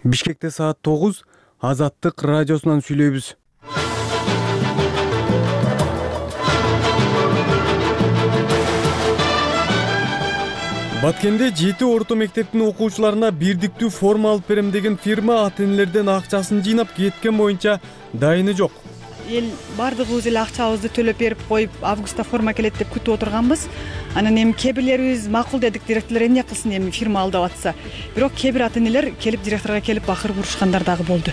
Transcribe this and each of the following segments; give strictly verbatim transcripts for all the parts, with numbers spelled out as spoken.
Бишкекте саат тогуз, Азаттык радиосунан сүйлөйбүз. Баткенде жети орто мектептин окуучуларына бирдиктүү форма алып берем деген фирма ата-энелерден акчасын жыйнап кеткен боюнча дайыны жок. Эл бардыгыбыз эле акчабызды төлөп берип коюп, августта форма келет деп күтүп отурганбыз. Анан эми кээ бирлерибиз макул дедик, директорлор эмне кылсын эми фирма алдап атса. Бирок кээ бир ата-энелер келип директорго келип бакыр бурушкандар дагы болду.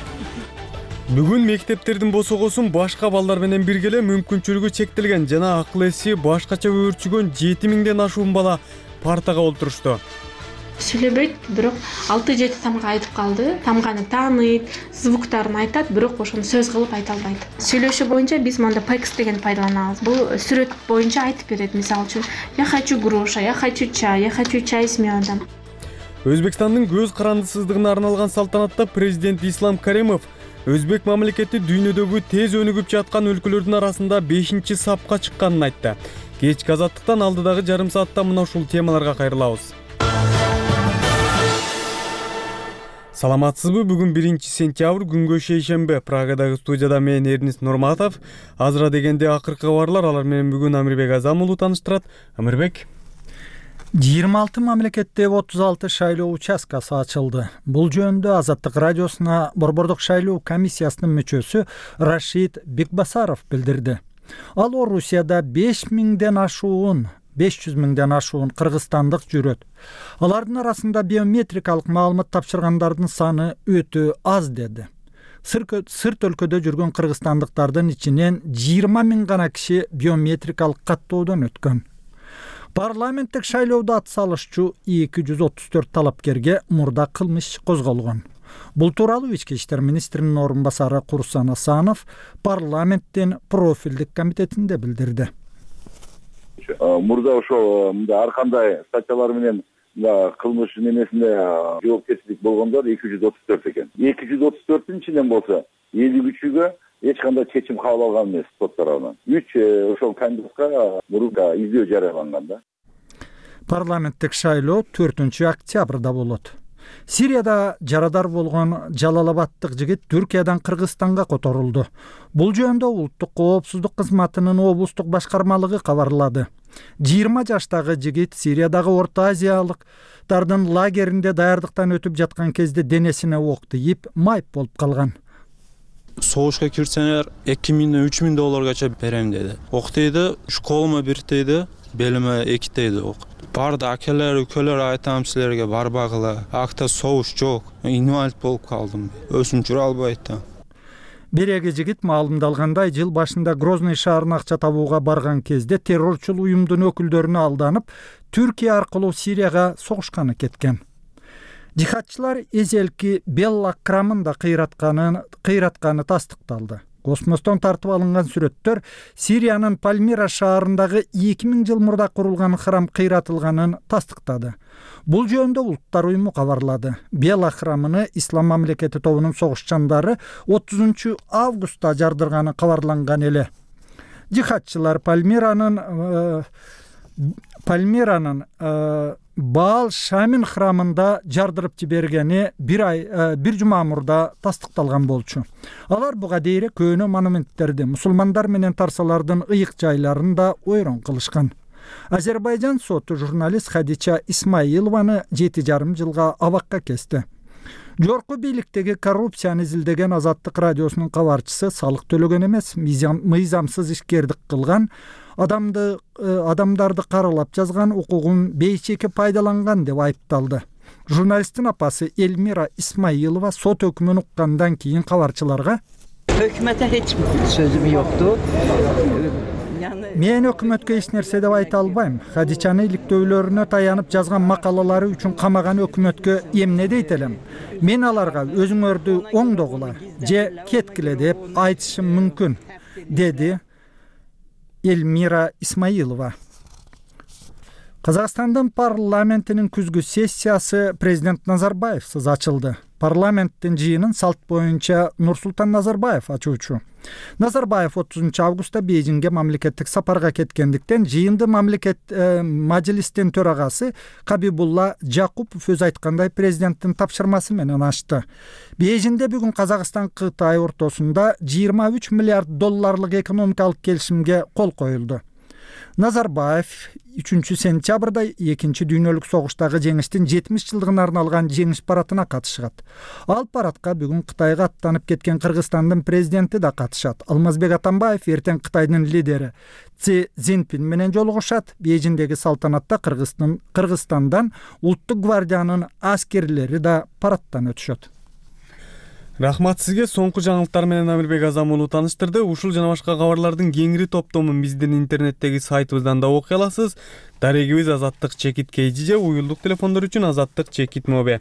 Бүгүн мектептердин босогосун башка балдар менен бирге эле мүмкүнчүлүгү чектелген жана акыл эси башкача өөрчүгөн жети миңден ашуун бала партага олтурушту. Сүйлөбөйт, бирок алты жети тамга айтып калды. Тамганы тааныйт, звуктарын айтат, бирок ошону сөз кылып айта албайт. Сүйлөшүү боюнча биз монда пекс деген пайдаланабыз. Бул сүрөт боюнча айтып берет. Мисалы үчүн, я хочу груша, я хочу чай, я хочу чай с медом. Өзбекстандын көз карандысыздыгына арналган салтанатта президент Ислам Каримов Өзбек мамлекети дүйнөдөгү тез өнүгүп жаткан өлкөлөрдүн арасында бешинчи сапка чыкканын айтты. Кечки Азаттыктан алдыдагы жарым саатта мына ушул темаларга кайрылабыз. Саламатсызбы? Бүгүн биринчи сентябрь, күнгө шейшембе. Прагадагы студияда мен Эрнис Нурматов. Азыра дегенде акыркы кабарлар, алар менен бүгүн Амирбек Азам уулу тааныштырат. Амирбек. жыйырма алты мамлекетте отуз алты шайлоо участкасы ачылды. Бул жөнүндө Азаттык радиосуна Борбордук шайлоо комиссиясынын мүчөсү Рашид Бекбасаров билдирди. Ал Орусияда беш миңден ашуун беш жүз миңден ашуун кыргызстандык жүрөт. Алардын арасында биометрикалык маалымат тапшыргандардын саны өтө аз деди. Сырт өлкөдө жүргөн кыргызстандыктардын ичинен жыйырма миң гана киши биометрикалык каттоодон өткөн. Парламенттик шайлоодо ат салышчу эки жүз отуз төрт талапкерге мурда кылмыш козголгон. Бул тууралуу ички иштер министринин орун басары Курсан Асанов парламенттин профилдик комитетинде билдирди. Мурда ошол ар кандай статьялар менен кылмыш немесинде жоопкерчилик болгондор эки жүз отуз төрт экен. эки жүз отуз төрттүн ичинен болсо элүү үчүгө эч кандай чечим кабыл алган эмес сот тарабынан. үч ошол кандидатка мурда издөө жарыяланган да. Парламенттик шайлоо төртүнчү октябрда болот. Сирияда жарадар болгон Жалалабадтык жигит Түркиядан Кыргызстанга которулду. Бул жөнүндө улуттук коопсуздук кызматынын облустук башкармалыгы кабарлады. жыйырма жаштагы жигит Сириядагы Орто Азиялыктардын лагеринде даярдыктан өтүп жаткан кезде денесине ок тийип, майып болуп калган. Согушка кирсеңер эки миңден үч миң долларгача берем деди. Ок дейди, школума бир дейди, белиме эки дейди ок. Барды акелер, үкөлөр айтам силерге барбагыла. Акта согуш жок. Инвалид болуп калдым. Өзүм жүрө албайт да. Береги жигит маалымдалгандай, жыл башында Грозный шаарына акча табууга барган кезде террорчул уюмдун өкүлдөрүнө алданып, Түркия аркылуу Сирияга согушканы кеткен. Жихадчылар эзелки Белла крамында кыйратканын кыйратканы тастыкталды. Космостон тартып алынган сүрөттөр Сириянын Пальмира шаарындагы эки миң жыл мурда курулган храм кыйратылганын тастыктады. Бул жөнүндө Улуттар уюму кабарлады. Белла храмыны Ислам мамлекети тобунун согушчандары отузунчу августта жардырганы кабарланган эле. Жихадчылар Пальмиранын э, Пальмиранын э, Баал Шамин храмында жардырып жибергени бир ай бир жума мурда тастыкталган болчу. Алар буга дейре көөнө монументтерди, мусулмандар менен тарсалардын ыйык жайларында ойрон кылышкан. Азербайжан соту журналист Хадича Исмаилованы жети жарым жылга абакка кести. Жорку бийликтеги коррупцияны изилдеген Азаттык радиосунун кабарчысы салык төлөгөн эмес, мыйзамсыз ишкердик кылган, адамды адамдарды каралап жазган, укугун бейчеке пайдаланган деп айыпталды. Журналисттин апасы Эльмира Исмаилова сот өкмүн уккандан кийин кабарчыларга Hökümete hiç sözüm yoktu. Мен өкмөткө эч нерсе деп айта албайм. Хадичаны иликтөөлөрүнө таянып жазган макалалары үчүн камаган өкмөткө эмне дейт элем? Мен аларга өзүңөрдү оңдогула же кеткиле деп айтышым мүмкүн, деди Эльмира Исмаилова. Казакстандын парламентинин күзгү сессиясы президент Назарбаевсыз ачылды. Парламенттин жыйынын салт боюнча Нурсултан Назарбаев ачуучу. Назарбаев отузунчу августта Бейжиңге мамлекеттик сапарга кеткендиктен жыйынды мамлекет э, мажилистин төрагасы Кабибулла Жакупов өз айткандай президенттин тапшырмасы менен ачты. Бейжиңде бүгүн Казакстан Кытай ортосунда жыйырма үч миллиард долларлык экономикалык келишимге кол коюлду. Назарбаев үчүнчү сентябрда экинчи дүйнөлүк согуштагы жеңиштин жетимиш жылдыгына арналган жеңиш парадына катышат. Ал парадка бүгүн Кытайга аттанып кеткен Кыргызстандын президенти да катышат. Алмазбек Атамбаев эртең Кытайдын лидери Си Цзиньпин менен жолугушат. Бейжиңдеги салтанатта Кыргызстан Кыргызстандан улуттук гвардиянын аскерлери да парадтан өтүшөт. Рахмат сизге. Соңку жаңылыктар менен Амирбек Азам уулу тааныштырды. Ушул жана башка кабарлардын кеңири топтомун биздин интернеттеги сайтыбыздан да окуй аласыз. Дарегибиз Азаттык Чекит Кейжи, уюлдук телефондор үчүн Азаттык Чекит Мобе.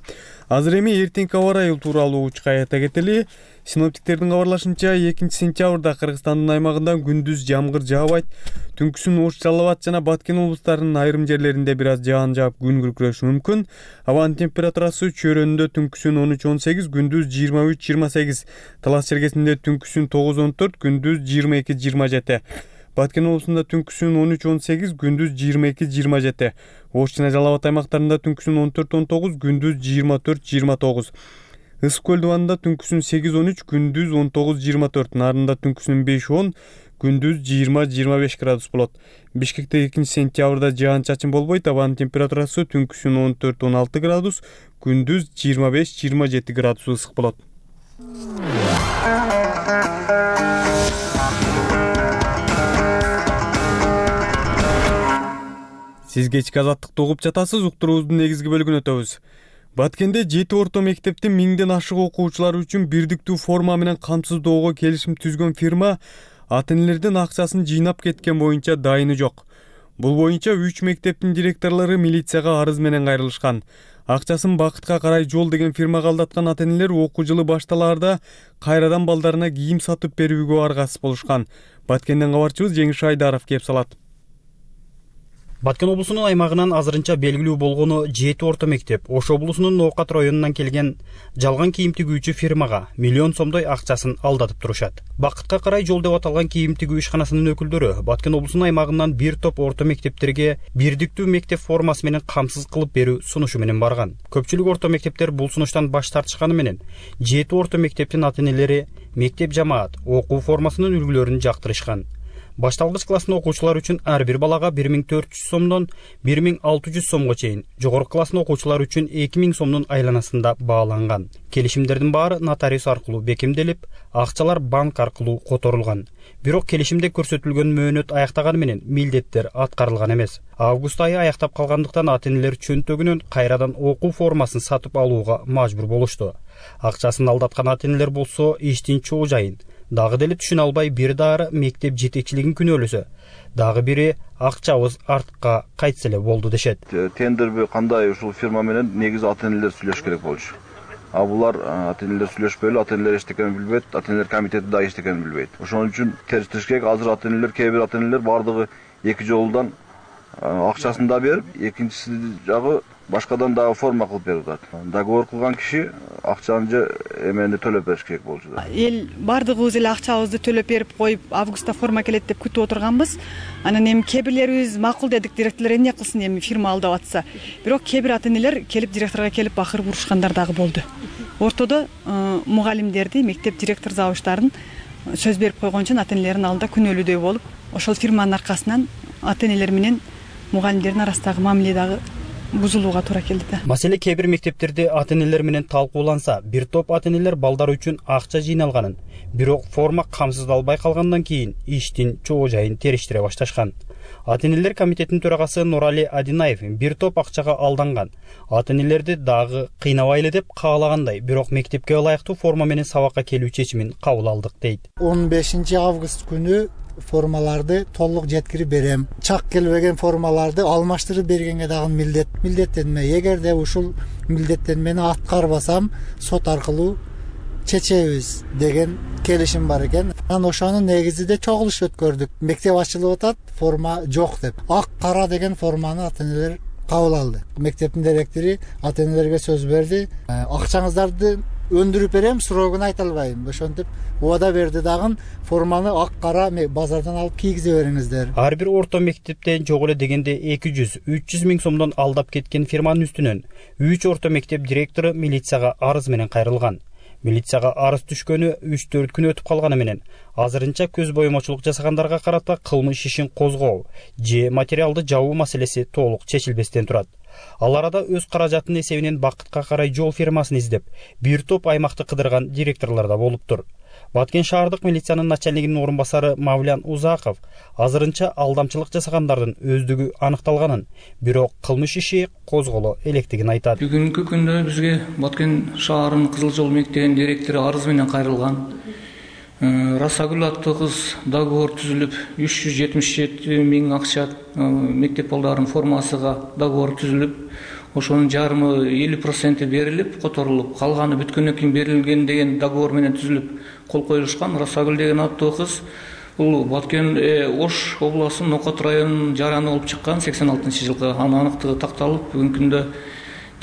Азыр эми эртеңки аба ырайы тууралуу учка айта кетели. Синоптиктердин кабарлашынча экинчи сентябрда Кыргызстандын аймагында күндүз жамгыр жаабайт. Түнкүсүн Ош, Жалал Абад жана Баткен облустарынын айрым жерлеринде бир аз жаан жаап күн күркүрөшү мүмкүн. Абанын температурасы чөйрөндө түнкүсүн он үч он сегиз, күндүз жыйырма үч жыйырма сегиз. Талас чергесинде түнкүсүн тогуз он төрт, күндүз жыйырма эки жыйырма жети. Баткен облусунда түнкүсүн он үч он сегиз, күндүз жыйырма эки жыйырма жети. Ош жана Жалал Абад аймактарында түнкүсүн он төрт он тогуз, күндүз жыйырма төрт жыйырма тогуз. Ысык көл дубанында түнкүсүн сегиз он үч, күндүз он тогуз жыйырма төрт. Нарында түнкүсүн беш он, күндүз жыйырма жыйырма беш градус болот. Бишкекте экинчи сентябрда жаан чачын болбойт. Абанын температурасы түнкүсүн он төрт он алты градус, күндүз жыйырма беш жыйырма жети градус ысык болот. Сиз кечки азаттыкты угуп жатасыз. Уктуруубуздун негизги бөлүгүнө өтөбүз. Баткенде жети орто мектептин миңден ашык окуучулары үчүн бирдиктүү форма менен камсыздоого келишим түзгөн фирма ата-энелердин акчасын жыйнап кеткен боюнча дайыны жок. Бул боюнча үч мектептин директорлору милицияга арыз менен кайрылышкан. Акчасын бакытка карай жол деген фирмага алдаткан ата-энелер окуу жылы башталаарда кайрадан балдарына кийим сатып берүүгө аргасыз болушкан. Баткенден кабарчыбыз Жеңиш Айдаров кеп салат. Баткен облусунун аймагынан азырынча белгилүү болгону жети орто мектеп Ош облусунун Ноокат районунан келген жалган кийим тигүүчү фирмага миллион сомдой акчасын алдатып турушат. Бакытка карай жол деп аталган кийим тигүү ишканасынын өкүлдөрү Баткен облусунун аймагынан бир топ орто мектептерге бирдиктүү мектеп формасы менен камсыз кылып берүү сунушу менен барган. Көпчүлүк орто мектептер бул сунуштан баш тартышканы менен жети орто мектептин ата-энелери мектеп жамаат окуу формасынын үлгүлөрүн жактырышкан. Башталгыч класстын окуучулары үчүн ар бир балага бир миң төрт жүз сомдон бир миң алты жүз сомго чейин, жогорку класстын окуучулары үчүн эки миң сомдун айланасында бааланган. Келишимдердин баары нотариус аркылуу бекемделип, акчалар банк аркылуу которулган. Бирок келишимде көрсөтүлгөн мөөнөт аяктаганы менен милдеттер аткарылган эмес. Август айы аяктап калгандыктан ата-энелер чөнтөгүнөн кайрадан окуу формасын сатып алууга мажбур болушту. Акчасын алдаткан ата-энелер болсо иштин чоо жайын дагы деле түшүнө албай бир даары мектеп жетекчилигин күнөөлөсө, дагы бири акчабыз артка кайтса эле болду дешет. Тендерби кандай ушул фирма менен негизи ата-энелер сүйлөшүш керек болчу. А булар ата-энелер сүйлөшпөй эле, ата-энелер эчтекени билбейт, ата-энелер комитети да эчтекени билбейт. Ошон үчүн териштириш керек. Азыр ата-энелер, кээ бир ата-энелер бардыгы эки жолдан акчасын да берип, экинчиси жагы башкадан дагы форма кылып берип атат. Договор кылган киши акчаны же эмени төлөп бериш керек болчу. Эл бардыгыбыз эле акчабызды төлөп берип коюп, августта форма келет деп күтүп отурганбыз. Анан эми кээ бирлерибиз макул дедик, директорлор эмне кылсын, эми фирма алдап атса. Бирок кээ бир ата-энелер келип директорго келип бакырып урушкандар дагы болду. Ортодо мугалимдерди, мектеп директор завуштарын сөз берип койгон үчүн ата-энелердин алдында күнөөлүүдөй болуп, ошол фирманын аркасынан ата-энелер менен мугалимдердин арасындагы мамиле дагы бузулууга туура келди да. Маселе кээ бир мектептерде ата-энелер менен талкууланса, бир топ ата-энелер балдар үчүн акча жыйналганын, бирок форма камсыздалбай калгандан кийин иштин чоо жайын териштире башташкан. Ата-энелер комитетинин төрагасы Нурали Адинаев бир топ акчага алданган. Ата-энелерди дагы кыйнабайлы деп каалагандай, бирок мектепке ылайыктуу форма менен сабакка келүү чечимин кабыл алдык дейт. он бешинчи август күнү формаларды толук жеткирип берем. Чак келбеген формаларды алмаштырып бергенге дагы милдет милдеттенме. Эгерде ушул милдеттенмени аткарбасам, сот аркылуу чечебиз деген келишим бар экен. Анан ошонун негизинде чогулуш өткөрдүк. Мектеп ачылып атат, форма жок деп. Ак кара деген форманы ата-энелер кабыл алды. Мектептин директору ата-энелерге сөз берди. Акчаңыздарды өндүрүп берем, срогун айта албайм. Ошентип убада берди дагы форманы ак кара базардан алып кийгизе бериңиздер. Ар бир орто мектептен жок эле дегенде эки жүз үч жүз миң сомдон алдап кеткен фирманын үстүнөн үч орто мектеп директору милицияга арыз менен кайрылган. Милицияга арыз түшкөнү үч төрт күн өтүп калганы менен азырынча көз боюмочулук жасагандарга карата кылмыш ишин козгоо же материалды жабуу маселеси толук чечилбестен турат. Ал арада өз каражатынын эсебинен Бакытка карай жол фирмасын издеп, бир топ аймакты кыдырган директорлор да болуптур. Баткен шаардык милициянын начальнигинин орун басары Мавлян Узаков азырынча алдамчылык жасагандардын өздүгү аныкталганын, бирок кылмыш иши козголо электигин айтат. Бүгүнкү күндө бизге Баткен шаарынын Кызыл жол мектебинин директору арыз менен кайрылган. Расагүл аттуу кыз договор түзүлүп, үч жүз жетимиш жети миң акча мектеп балдарынын формасыга договор түзүлүп, ошонун жарымы элүү проценти берилип, которулуп, калганы бүткөндөн кийин берилген деген договор менен түзүлүп кол коюлушкан. Расагүл деген аттуу кыз бул Баткен Ош областынын Нокот районунун жараны болуп чыккан сексен алтынчы жылкы. Анын аныктыгы такталып, бүгүнкү күндө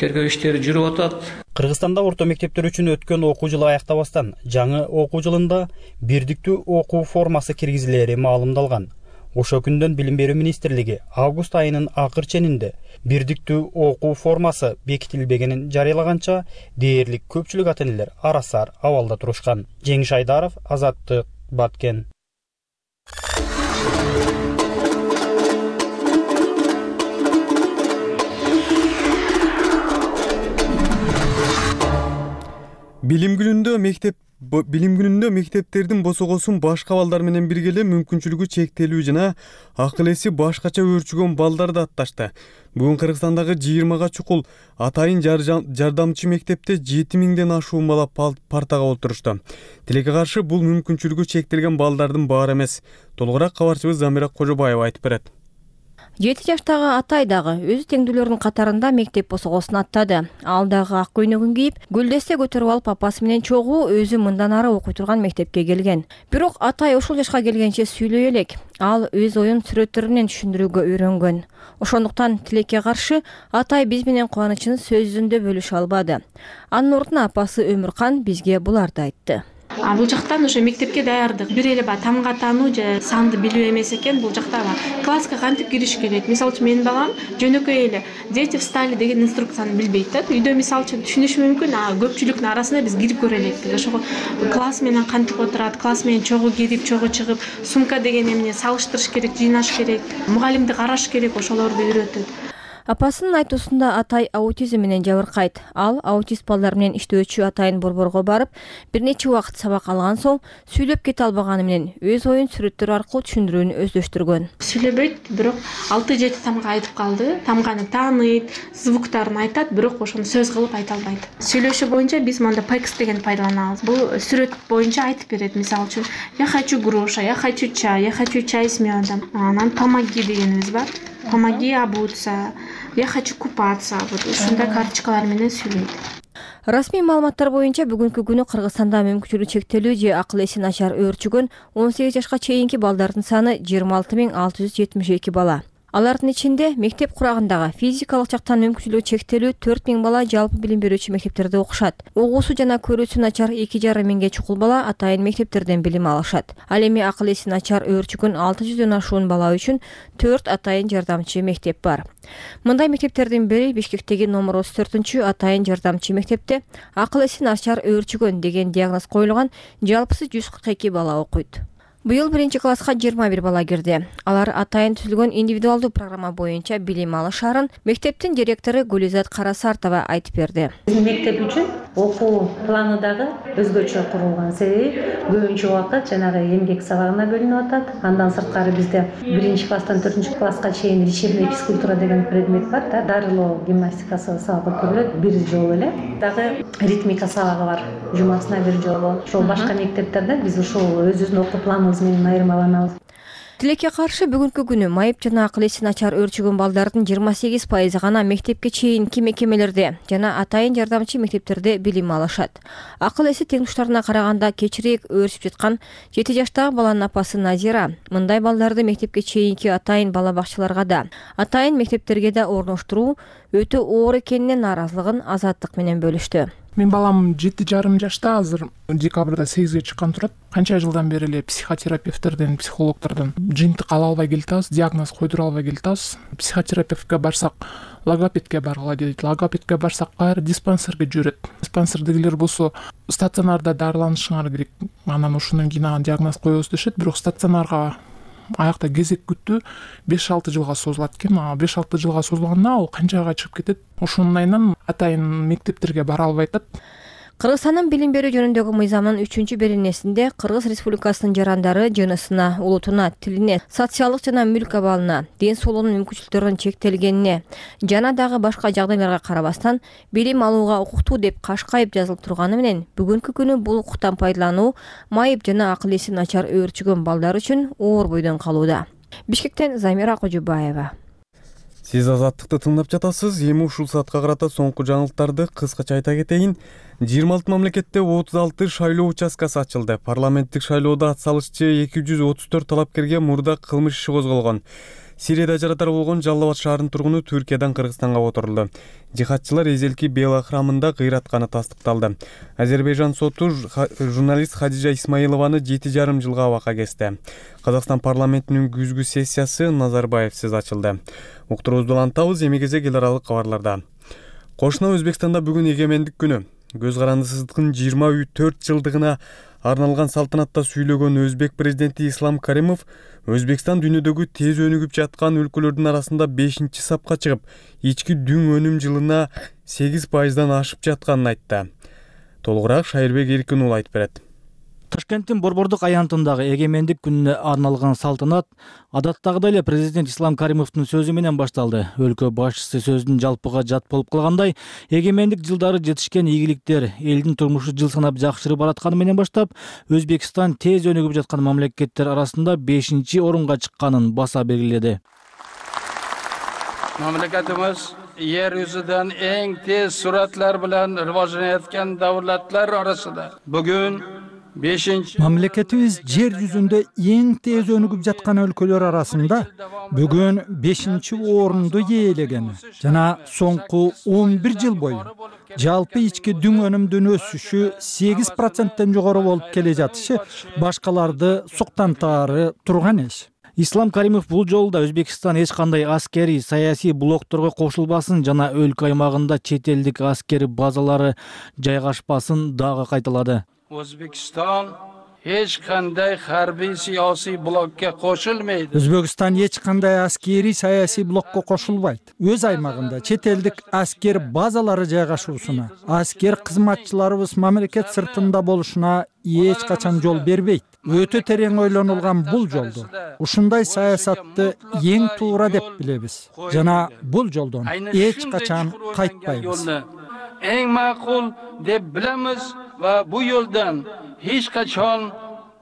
тергөө иштери жүрүп атат. Кыргызстанда орто мектептер үчүн өткөн окуу жылы аяктабастан жаңы окуу жылында бирдиктүү окуу формасы киргизилери маалымдалган. Ошо күндөн Билим берүү министрлиги август айынын акыр ченинде бирдиктүү окуу формасы бекитилбегенин жарыялаганча дээрлик көпчүлүк ата-энелер арасар абалда турушкан. Жеңиш Айдаров, Азаттык, Баткен. Билим күнүндө мектеп Билим күнүндө мектептердин босогосун башка балдар менен бирге эле мүмкүнчүлүгү чектелүү жана акыл эси башкача өөрчүгөн балдарды атташты. Бүгүн Кыргызстандагы жыйырмага чукул атайын жардамчы мектепте жети миңден ашуун бала партага отурушту. Тилекке каршы бул мүмкүнчүлүгү чектелген балдардын баары эмес. Толугураак кабарчыбыз Замира Кожобаева айтып берет. жети жаштагы Атай дагы өз теңдүүлөрүнүн катарында мектеп босогосун аттады. Ал дагы ак көйнөгүн кийип, гүлдесте көтөрүп алып апасы менен чогуу өзү мындан ары окуй турган мектепке келген. Бирок Атай ушул жашка келгенче сүйлөй элек. Ал өз оюн сүрөттөр менен түшүндүрүүгө үйрөнгөн. Ошондуктан тилекке каршы Атай биз менен кубанычын сөз жүзүндө бөлүшө албады. Анын ордуна апасы Өмүркан бизге буларды айтты. А бул жактан ошо мектепке даярдык. Бир эле баягы тамга таануу же санды билүү эмес экен, бул жакта класска кантип кириш керек. Мисалы үчүн менин балам жөнөкөй эле дети встали деген инструкцияны билбейт да. Үйдө мисалы үчүн түшүнүшү мүмкүн, а көпчүлүктүн арасына биз кирип көрө элекпиз. Ошого класс менен кантип отурат, класс менен чогуу кирип, чогуу чыгып, сумка деген эмне салыштырыш керек, жыйнаш керек, мугалимди караш керек, ошолорду үйрөтөт. Апасынын айтуусунда Атай аутизм менен жабыркайт. Ал аутист балдар менен иштөөчү Атайын борборго барып, бир нече убакыт сабак алган соң сүйлөп кете албаганы менен өз оюн сүрөттөр аркылуу түшүндүрүүнү өздөштүргөн. Сүйлөбөйт, бирок алты жети тамга айтып калды. Тамганы тааныйт, звуктарын айтат, бирок ошону сөз кылып айта албайт. Сүйлөшү боюнча биз монда пекс деген пайдаланабыз. Бул сүрөт боюнча айтып берет. Мисалы үчүн, я хочу груша, я хочу чай, я хочу чай с медом. Анан помоги дегенибиз бар. Помоги обуться, я хочу купаться. Вот ушундай карточкалар менен сүйлөйт. Расмий маалыматтар боюнча бүгүнкү күнү Кыргызстанда мүмкүнчүлүгү чектелүү же акыл эси начар өөрчүгөн он сегиз жашка чейинки балдардын саны жыйырма алты миң алты жүз жетимиш эки бала. Алардын ичинде мектеп курагындагы физикалык жактан мүмкүнчүлүгү чектелүү төрт миң бала жалпы билим берүүчү мектептерде окушат. Угуусу жана көрүүсү начар эки жарым миңге чукул бала атайын мектептерден билим алышат. Ал эми акыл эси начар өөрчүгөн алты жүздөн ашуун бала үчүн төрт атайын жардамчы мектеп бар. Мындай мектептердин бири Бишкектеги номер отуз төртүнчү атайын жардамчы мектепте акыл эси начар өөрчүгөн деген диагноз коюлган жалпысы жүз кырк эки бала окуйт. Быйыл биринчи класска жыйырма бир бала кирди. Алар атайын түзүлгөн индивидуалдуу программа боюнча билим алышарын мектептин директору Гүлизат Карасартова айтып берди. Биздин мектеп үчүн окуу планы дагы өзгөчө курулган. Себеби көбүнчө убакыт жанагы эмгек сабагына бөлүнүп атат. Андан сырткары бизде биринчи класстан төртүнчү класска чейин лечебный физкультура деген предмет бар да, дарылоо гимнастикасы сабак өткөрүлөт бир жолу эле. Дагы ритмика сабагы бар, жумасына бир жолу. Ошол башка мектептерде биз ушул өзүбүздүн окуу планыбыз менен айырмаланабыз. Тилекке каршы бүгүнкү күнү майып жана акыл эси начар өөрчүгөн балдардын жыйырма сегиз пайызы гана мектепке чейинки мекемелерде жана атайын жардамчы мектептерде билим алышат. Акыл эси теңдуштарына караганда кечирээк өөрчүп жаткан жети жаштагы баланын апасы Назира мындай балдарды мектепке чейинки атайын бала бакчаларга да, атайын мектептерге да орноштуруу өтө оор экенине нааразылыгын Азаттык менен бөлүштү. Менин балам жети жарым жашта, азыр декабрда сегизге чыккан турат. Канча жылдан бери эле психотерапевттерден, психологдордон жыйынтык ала албай келатабыз, диагноз койдура албай келатабыз. Психотерапевтке барсак, логопедке баргыла дейт. Логопедке барсак, баары диспансерге жиберет. Диспансердегилер болсо стационарда дарыланышыңар керек, анан ошондон кийин ага диагноз коебуз дешет. Бирок стационарга аякта кезек күтүү беш алты жылга созулат экен. беш алты жылга созулганда ал канчага чыгып кетет. Ошонун айынан атайын мектептерге бара албай атат. Кыргызстандын билим берүү жөнүндөгү мыйзамынын үчүнчү беренесинде Кыргыз Республикасынын жарандары жынысына, улутуна, тилине, социалдык жана мүлк абалына, ден соолугунун мүмкүнчүлүктөрүнүн чектелгенине жана дагы башка жагдайларга карабастан билим алууга укуктуу деп кашкайып жазылып турганы менен бүгүнкү күнү бул укуктан пайдалануу майып жана акыл эси начар өөрчүгөн балдар үчүн оор бойдон калууда. Бишкектен Замира Кожубаева. Сиз Азаттыкты тыңдап жатасыз. Эми ушул саатка карата соңку жаңылыктарды кыскача айта кетейин. жыйырма алты мамлекетте отуз алты шайлоо участкасы ачылды. Парламенттик шайлоодо ат салышчы эки жүз отуз төрт талапкерге мурда кылмыш иши козголгон. Сирияда жаратар болгон Жалал Абад шаарынын тургуну Түркиядан Кыргызстанга отурулду. Жихадчылар Эзелки Бела храмында кыйратканы тастыкталды. Азербайжан соту журналист Хадижа Исмаилованы жети жарым жылга абакка кести. Казакстан парламентинин күзгү сессиясы Назарбаевсиз ачылды. Уктуруубузду улантабыз, эми кезек эл аралык кабарларда. Кошуна Өзбекстанда бүгүн эгемендик күнү. Көз карандысыздыктын жыйырма төрт жылдыгына арналган салтанатта сүйлөгөн өзбек президенти Ислам Каримов Өзбекстан дүйнөдөгү тез өнүгүп жаткан өлкөлөрдүн арасында бешинчи сапка чыгып, ички дүң өнүм жылына сегиз пайыздан ашып жатканын айтты. Толугураак Шайырбек Эркин уулу айтып берет. Ташкенттин Борбордук аянтындагы эгемендик күнүнө арналган салтанат адаттагыдай эле президент Ислам Каримовдун сөзү менен башталды. Өлкө башчысы сөзүн жалпыга жат болуп калгандай, эгемендик жылдары жетишкен ийгиликтер элдин турмушу жыл санап жакшырып баратканы менен баштап, Өзбекстан тез өнүгүп жаткан мамлекеттер арасында бешинчи орунга чыкканын баса белгиледи. Мамлекетimiz yer yüzünden en tez suratlar bilen rivojlanayotgan davlatlar arasında. Bugün Мамлекетибиз жер жүзүндө эң тез өнүгүп жаткан өлкөлөр арасында бүгүн бешинчи орунду ээлеген жана соңку он бир жыл бою жалпы ички дүң өнүмдүн өсүшү сегиз проценттен жогору болуп келе жатышы башкаларды суктантаары турган иш. Ислам Каримов бул жолу да Өзбекстан эч кандай аскерий, саясий блокторго кошулбасын жана өлкө аймагында чет элдик аскери базалары жайгашпасын дагы кайталады. O'zbekiston hech qanday harbiy siyosiy blokka qo'shilmaydi. Өзбекстан эч кандай аскерий саясий блокко кошулбайт. Өз аймагында чет элдик аскер базалары жайгашуусуна, аскер кызматчыларыбыз мамлекет сыртында болушуна эч качан жол бербейт. Өтө терең ойлонулган бул жолду ушундай саясатты эң туура деп билебиз жана бул жолдон эч качан кайтпайбыз. Эң макул деп билебиз va bu yo'ldan hech qachon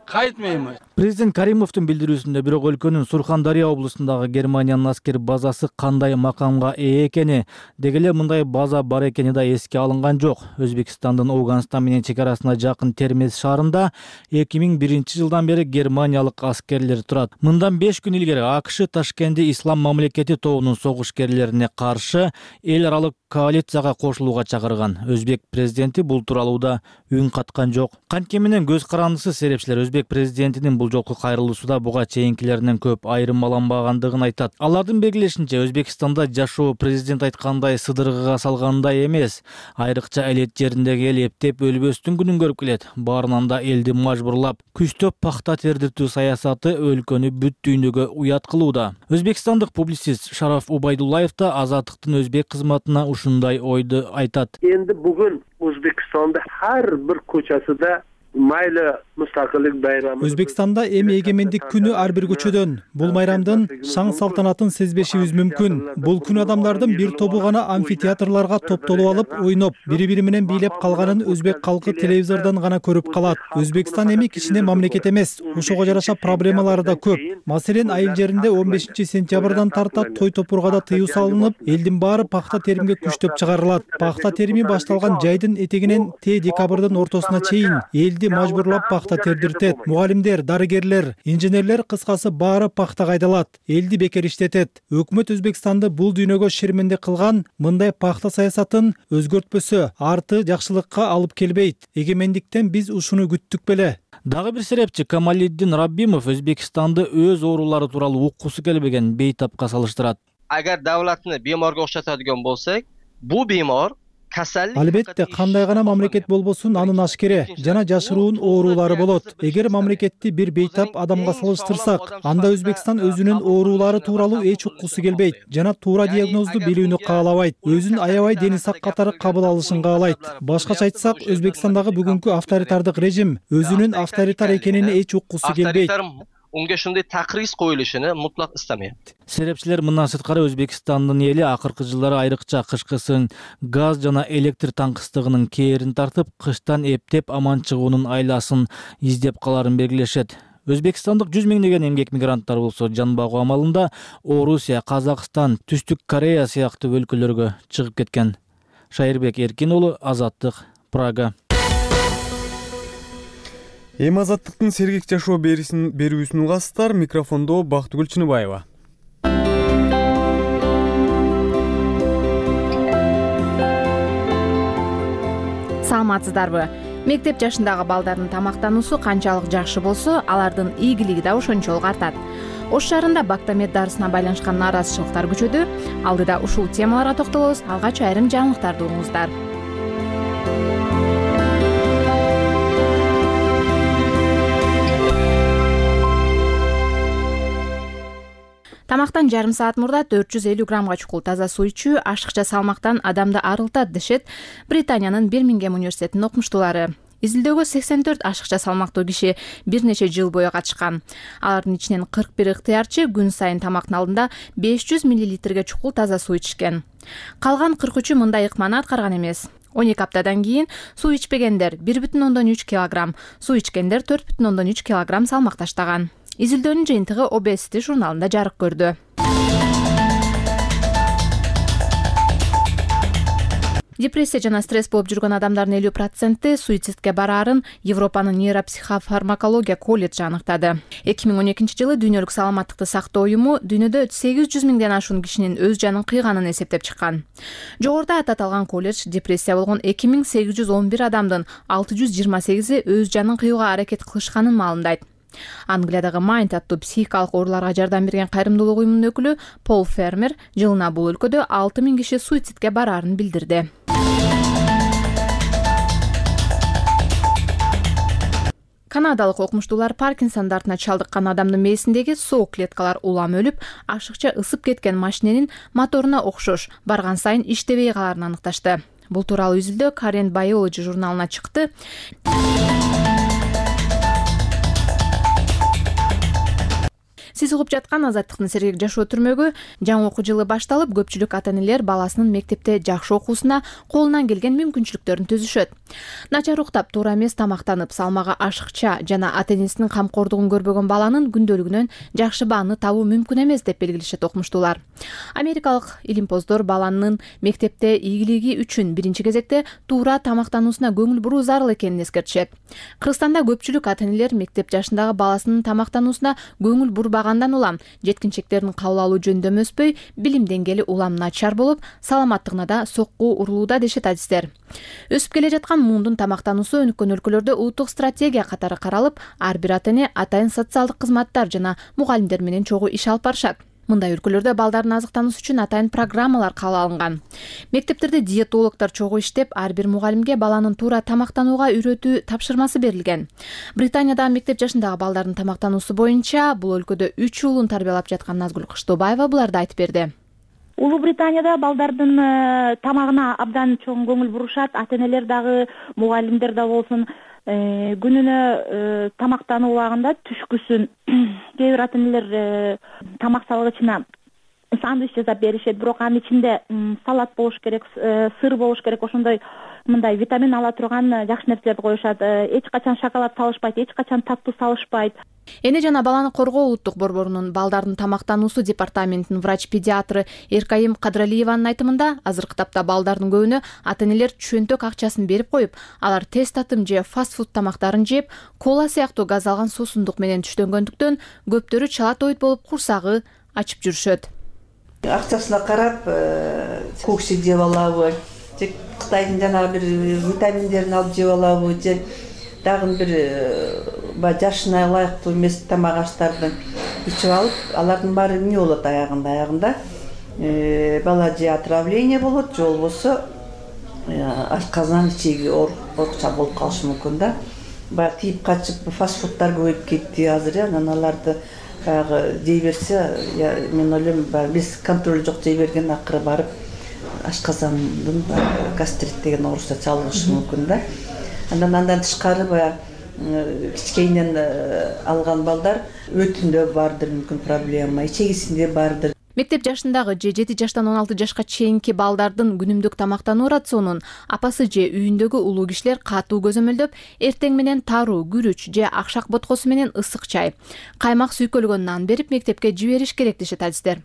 qaytmaymiz. Президент Каримовдун билдирүүсүндө бирок өлкөнүн Сурхандария облусундагы Германиянын аскер базасы кандай макамга ээ экени, деги эле мындай база бар экени да эске алынган жок. Өзбекстандын Ауганстан менен чек арасына жакын Термез шаарында эки миң биринчи жылдан бери германиялык аскерлер турат. Мындан беш күн илгери АКШ Ташкентте Ислам мамлекети тобунун согушкерлерине каршы эл аралык коалицияга кошулууга чакырган. Өзбек президенти бул тууралуу да үн каткан жок. Кантке менен көз карандысыз серепчилер өзбек президентинин бул жолку кайрылуусуда буга чейинкилеринен көп айырмаланбагандыгын айтат. Алардын белгилешинче Өзбекстанда жашоо президент айткандай сыдыргыга салгандай эмес. Айрыкча элет жериндеги эл эптеп өлбөстүн күнүн көрүп келет. Баарынан да элди мажбурлап, күчтөп пахта тердиртүү саясаты өлкөнү бүт дүйнөгө уят кылууда. Өзбекстандык публицист Шараф Убайдуллаев да Азаттыктын өзбек кызматына ушундай ойду айтат. Энди бүгүн Өзбекстанда ар бир көчөсүдө майла мустакылдык байрамы. Өзбекстанда эми эгемендик күнү ар бир көчөдөн бул майрамдын шаң салтанатын сезбешибиз мүмкүн. Бул күн адамдардын бир тобу гана амфитеатрларга топтолуп алып, ойноп, бири-бири менен бийлеп калганын өзбек калкы телевизордон гана көрүп калат. Өзбекстан эми кичине мамлекет эмес, ошого жараша проблемалары да көп. Маселен, айыл жеринде он бешинчи сентябрдан тарта той топургада тыюу салынып, элдин баары пахта теримге күчтөп чыгарылат. Пахта терими башталган жайдын этегинен те декабрдын ортосуна чейин элди мажбурлап пахта тердиртет. Мугалимдер, дарыгерлер, инженерлер кыскасы баары пахтага айдалат, элди бекер иштетет. Өкмөт Өзбекстанды бул дүйнөгө шерменде кылган мындай пахта саясатын өзгөртпөсө, арты жакшылыкка алып келбейт. Эгемендиктен биз ушуну күттүк беле. Дагы бир серепчи Камалиддин Раббимов Өзбекстанды өз оорулары тууралуу уккусу келбеген бейтапка салыштырат. Agar davlatni bemorga o'xshatadigan bo'lsak, bu bemor kasallik Албетте, кандай гана мамлекет болбосун анын ашкере жана жашыруун оорулары болот. Эгер мамлекетти бир бейтап адамга салыштырсак, анда Өзбекстан өзүнүн оорулары тууралуу эч уккусу келбейт жана туура диагнозду билүүнү каалабайт. Өзүн аябай дени сак катары кабыл алышын каалайт. Башкача айтсак, Өзбекстандагы бүгүнкү авторитардык режим өзүнүн авторитар экенине эч уккусу келбейт. Unga shunday taqriz qo'yilishini mutlaq istamayapti. Серепчилер мындан сырткары Өзбекстандын эли акыркы жылдары айрыкча кышкысын газ жана электр таңкыстыгынын кээрин тартып, кыштан эптеп аман чыгуунун айласын издеп каларын белгилешет. Өзбекстандык жүз миңдеген эмгек мигранттар болсо жан багуу амалында Орусия, Казакстан, Түштүк Корея сыяктуу өлкөлөргө чыгып кеткен. Шайырбек Эркин уулу, Азаттык, Прага. Эми Азаттыктын сергек жашоо берүүсүн угасыздар. Микрофондо Бактыгүл Чыныбаева. Саламатсыздарбы? Мектеп жашындагы балдардын тамактануусу канчалык жакшы болсо, алардын ийгилиги да ошончолук артат. Ош шаарында Бактамет дарысына байланышкан нааразычылыктар күчөдү. Алдыда ушул темаларга токтолобуз. Алгач айрым жаңылыктарды угуңуздар. Тамактан жарым саат мурда төрт жүз элүү граммга чукул таза суу ичүү ашыкча салмактан адамды арылтат дешет Британиянын Бирмингем университетинин окумуштуулары. Изилдөөгө сексен төрт ашыкча салмактуу киши бир нече жыл бою катышкан. Алардын ичинен кырк бир ыктыярчы күн сайын тамактын алдында беш жүз миллилитрге чукул таза суу ичкен. Калган кырк үчү мындай ыкманы аткарган эмес. он эки аптадан кийин суу ичпегендер бир бүтүн ондон үч килограмм, суу ичкендер төрт бүтүн ондон үч килограмм салмак таштаган. Изилдөөнүн жыйынтыгы Obesity журналында жарык көрдү. Депрессия жана стресс болуп жүргөн адамдардын элүү проценти суицидке бараарын Европанын нейропсихофармакология колледжи аныктады. эки миң он экинчи жылы Дүйнөлүк саламаттыкты сактоо уюму дүйнөдө сегиз жүз миңден ашуун кишинин өз жанын кыйганын эсептеп чыккан. Жогоруда аталган колледж депрессия болгон эки миң сегиз жүз он бир адамдын алты жүз жыйырма сегизи өз жанын кыюуга аракет кылышканын маалымдайт. Англиядагы Mind аттуу психикалык ооруларга жардам берген кайрымдуулук уюмунун өкүлү Пол Фермер жылына бул өлкөдө алты миң киши суицидке бараарын билдирди. Канадалык окумуштуулар Паркинсон дартына чалдыккан адамдын мээсиндеги соок клеткалар улам өлүп, ашыкча ысып кеткен машиненин моторуна окшош барган сайын иштебей каларын аныкташты. Бул тууралуу изилдөө Current Biology журналына чыкты. Сиз угуп жаткан Азаттыктын сергек жашоо түрмөгү жаңы окуу жылы башталып, көпчүлүк ата-энелер баласынын мектепте жакшы окуусуна колунан келген мүмкүнчүлүктөрүн түзүшөт. Начар уктап, туура эмес тамактанып, салмагы ашыкча жана ата-энесинин камкордугун көрбөгөн баланын күндөлүгүнөн жакшы бааны табуу мүмкүн эмес деп белгилешет окумуштуулар. Америкалык илимпоздор баланын мектепте ийгилиги үчүн биринчи кезекте туура тамактануусуна көңүл буруу зарыл экенин эскертишет. Кыргызстанда көпчүлүк ата-энелер мектеп жашындагы баласынын тамактануусуна көңүл бурбаган Андан улам жеткинчектердин кабыл алуу жөндөмү өспөй, билим деңгээли улам начар болуп, саламаттыгына да сокку урулууда дешет адистер. Өсүп келе жаткан муундун тамактануусу өнүккөн өлкөлөрдө улуттук стратегия катары каралып, ар бир ата-эне атайын социалдык кызматтар жана мугалимдер менен чогуу иш алып барышат. Мындай өлкөлөрдө балдардын азыктануусу үчүн атайын программалар кабыл алынган. Мектептерде диетологдор чогуу иштеп, ар бир мугалимге баланын туура тамактанууга үйрөтүү тапшырмасы берилген. Британиядагы мектеп жашындагы балдардын тамактануусу боюнча бул өлкөдө үч уулун тарбиялап жаткан Назгүл Кыштообаева буларды айтып берди. Улуу Британияда балдардын тамагына абдан чоң көңүл бурушат. Ата-энелер дагы, мугалимдер да болсун, күнүнө тамактануу убагында түшкүсүн кээ бир ата-энелер тамак салгычына сандвич жасап беришет, бирок анын ичинде салат болуш керек, сыр болуш керек, ошондой мындай витамин ала турган жакшы нерселерди коюшат. Эч качан шоколад салышпайт, эч качан таттуу салышпайт. Эне жана баланы коргоо улуттук борборунун балдардын тамактануусу департаментинин врач-педиатры Эркайым Кадралиеванын айтымында, азыркы тапта балдардын көбүнө ата-энелер чөнтөк акчасын берип коюп, алар тез татым же фаст-фуд тамактарын жеп, кола сыяктуу газ алган суусундук менен түштөнгөндүктөн көптөрү чала тойт болуп курсагы ачып жүрүшөт. Акчасына карап коксик жеп алабы, же Кытайдын жанагы бир витаминдерин алып жеп алабы, же дагы бир жашына ылайыктуу эмес тамак аштарды ичип алып, алардын баары эмне болот аягында аягында бала же отравление болот, же болбосо ашказан ичеги оорукча болуп калышы мүмкүн да. Баягы тийип качып фастфудтар көбөйүп кетти азыр, анан аларды баягы жей берсе, мен ойлойм, биз контроль жок жей берген акыры барып ашказандын гастрит деген оорусуна чалдыгышы мүмкүн да. Андан андан тышкары баягы кичкейинен алган балдар өтүндө бардыр мүмкүн проблема, ичегисинде бардыр. Мектеп жашындагы же жети жаштан он алты жашка чейинки балдардын күнүмдүк тамактануу рационун апасы же үйүндөгү улуу кишилер катуу көзөмөлдөп, эртең менен таруу, күрүч же акшак боткосу менен ысык чай, каймак сүйкөлгөн нан берип мектепке жибериш керек дешет адистер.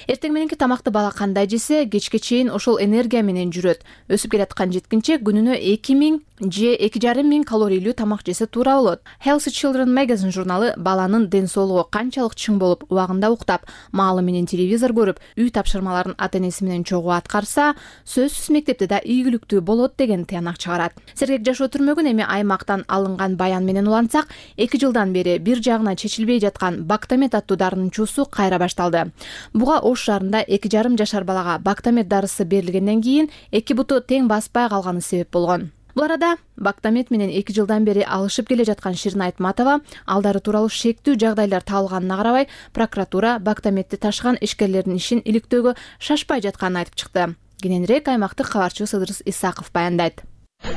Эртең мененки тамакты бала кандай жесе, кечке чейин ошол энергия менен жүрөт. Өсүп келаткан жеткинче күнүнө эки миң же эки жарым миң калорийлүү тамак жесе туура болот. Healthy Children Magazine журналы баланын ден соолугу канчалык чың болуп, убагында уктап, маалы менен телевизор көрүп, үй тапшырмаларын ата-энеси менен чогуу аткарса, сөзсүз мектепте да ийгиликтүү болот деген тыянак чыгарат. Сергек жашоо түрмөгүн эми аймактан алынган баян менен улантсак, эки жылдан бери бир жагына чечилбей жаткан Бактамет аттуу дарынын чуусу кайра башталды. Буга Ош шаарында эки жарым жашар балага Бактамет дарысы берилгенден кийин эки буту тең баспай калганы себеп болгон. Бул арада Бактамет менен эки жылдан бери алышып келе жаткан Ширин Айтматова алдары тууралуу шектүү жагдайлар табылганына карабай, прокуратура Бактаметти ташыган ишкерлердин ишин иликтөөгө шашпай жатканын айтып чыкты. Кененирээк аймактык кабарчыбыз Ыдырыс Исаков баяндайт.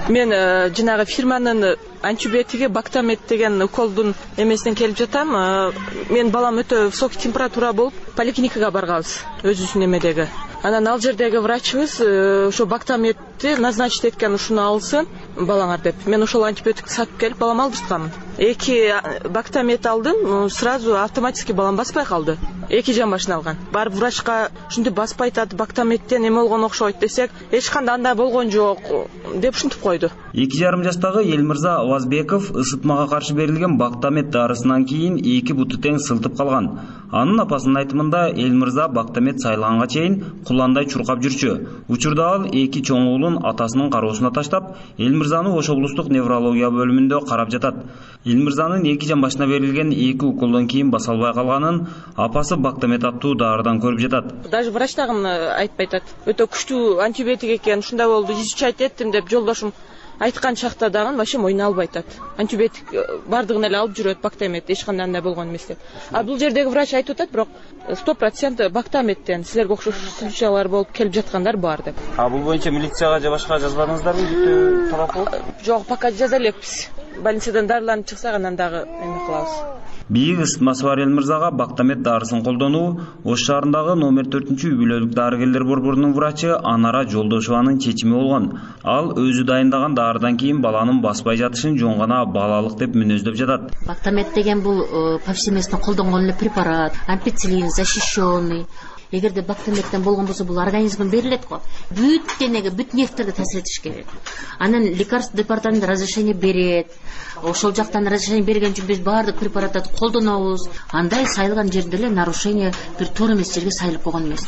Мен жанагы фирманын антибиотиги Бактамет деген уколдун эмесинен келип жатам. Мен балам өтө высокий температура болуп поликлиникага барганбыз, өзүбүздүн эмедеги. Анан ал жердеги врачыбыз ошо Бактаметти назначить эткен, ушуну алсын балаңар деп. Мен ошол антибиотикти сатып келип балам алдыртканмын. Эки Бактамет алдым, сразу автоматически балам баспай калды. Эки жан башына алган. Барып врачка ушинтип баспай атат, Бактаметтен эме болгон окшойт десек, эч кандай андай болгон жок деп ушинтип койду. эки жарым жаштагы Элмирза Авазбеков ысытмага каршы берилген Бактамет дарысынан кийин эки буту тең сылтып калган. Анын апасынын айтымында Элмирза Бактамет сайлаганга чейин куландай чуркап жүрчү. Учурда ал эки чоң уулун атасынын кароосуна таштап, Элмирзаны Ош облустук неврология бөлүмүндө карап жатат. Элмирзанын эки жан башына берилген эки уколдон кийин баса албай калганын апасы Бактамет аттуу дарыдан көрүп жатат. Даже врач дагы айтпай атат. Өтө күчтүү антибиотик экен, ушундай болду, изучать эттим деп жолдошум айткан чакта дагы вообще мойнуна албай атат. Антибиотик бардыгын эле алып жүрөт Бактамет, эч кандай андай болгон эмес деп. А бул жердеги врач айтып атат, бирок сто процент Бактаметтен силерге окшош случайлар болуп келип жаткандар бар деп. А бул боюнча милицияга же башка жазбадыңыздарбы? Бүтө талап болуп? Жок, пока жаза элекпиз. Больницадан дарыланып чыксак анан дагы эме кылабыз. Бийик ысытмасы бар Элмирзага Бактамет дарысын колдонуу Ош шаарындагы номер төртүнчү үй бүлөлүк дарыгерлер борборунун врачы Анара Жолдошованын чечими болгон. Ал өзү дайындаган дарыдан кийин баланын баспай жатышын жөн гана балалык деп мүнөздөп жатат. Бактамет деген бул повсеместно колдонгон эле препарат, ампицилин защищенный. Эгерде Бактаметтен болгон болсо, бул организмге берилет го. Бүт денеге, бүт нервтерге таасир этиш керек. Анан лекарство департаменти разрешение берет. Ошол жактан разрешение берген үчүн биз баардык препараттарды колдонобуз. Андай сайылган жерде эле нарушение бир туура эмес жерге сайылып койгон эмес.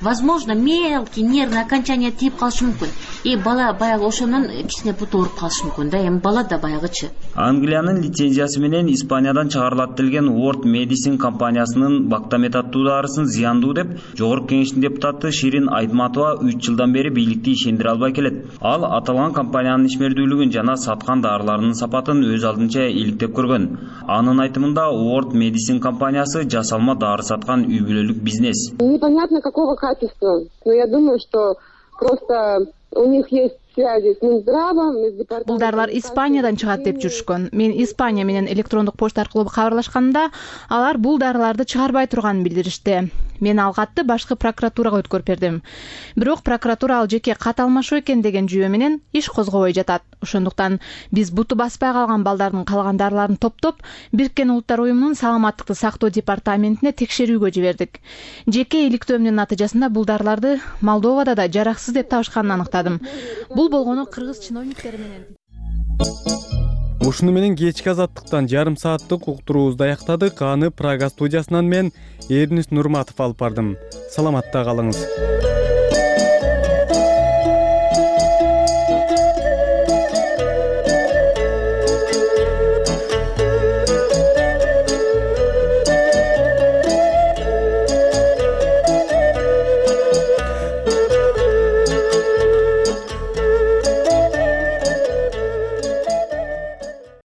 Возможно, мелкий нервный окончание тийип калышы мүмкүн. И бала баягы ошонун кичине буту ооруп калышы мүмкүн да. Эми бала да баягычы. Англиянын лицензиясы менен Испаниядан чыгарылат делген World Medicine компаниясынын Бактамет аттуу дарысын зыяндуу деп Жогорку кеңештин депутаты Ширин Айтматова үч жылдан бери бийликти ишендире албай келет. Ал аталган компаниянын ишмердүүлүгүн жана саткан дарыларынын сапатын өз алдынча иликтеп көргөн. Анын айтымында World Medicine компаниясы жасалма дары саткан үй бүлөлүк бизнес. Непонятно какого качества, но я думаю, что просто у них есть связи с Минздравом, с департаментом. Бул дарылар Испаниядан чыгат деп жүрүшкөн. Мен Испания менен электрондук почта аркылуу кабарлашканда, алар бул дарыларды чыгарбай турганын билдиришти. мен ал катты башкы прокуратурага өткөрүп бердим. Бирок прокуратура ал жеке кат алмашуу экен деген жүйө менен иш козгобой жатат. Ошондуктан биз буту баспай калган балдардын калгандарларын топтоп, Бириккен Улуттар уюмунун саламаттыкты сактоо департаментине текшерүүгө жибердик. Жеке иликтөөмдүн натыйжасында бул дарыларды Молдовада да жараксыз деп табышканын аныктадым. Бул болгону кыргыз чиновниктери менен. Ушуну менен кечки азаттыктан жарым сааттык уктуруубузду аяктадык. Аны Прага студиясынан мен Эрнис Нурматов алып бардым. Саламатта калыңыз.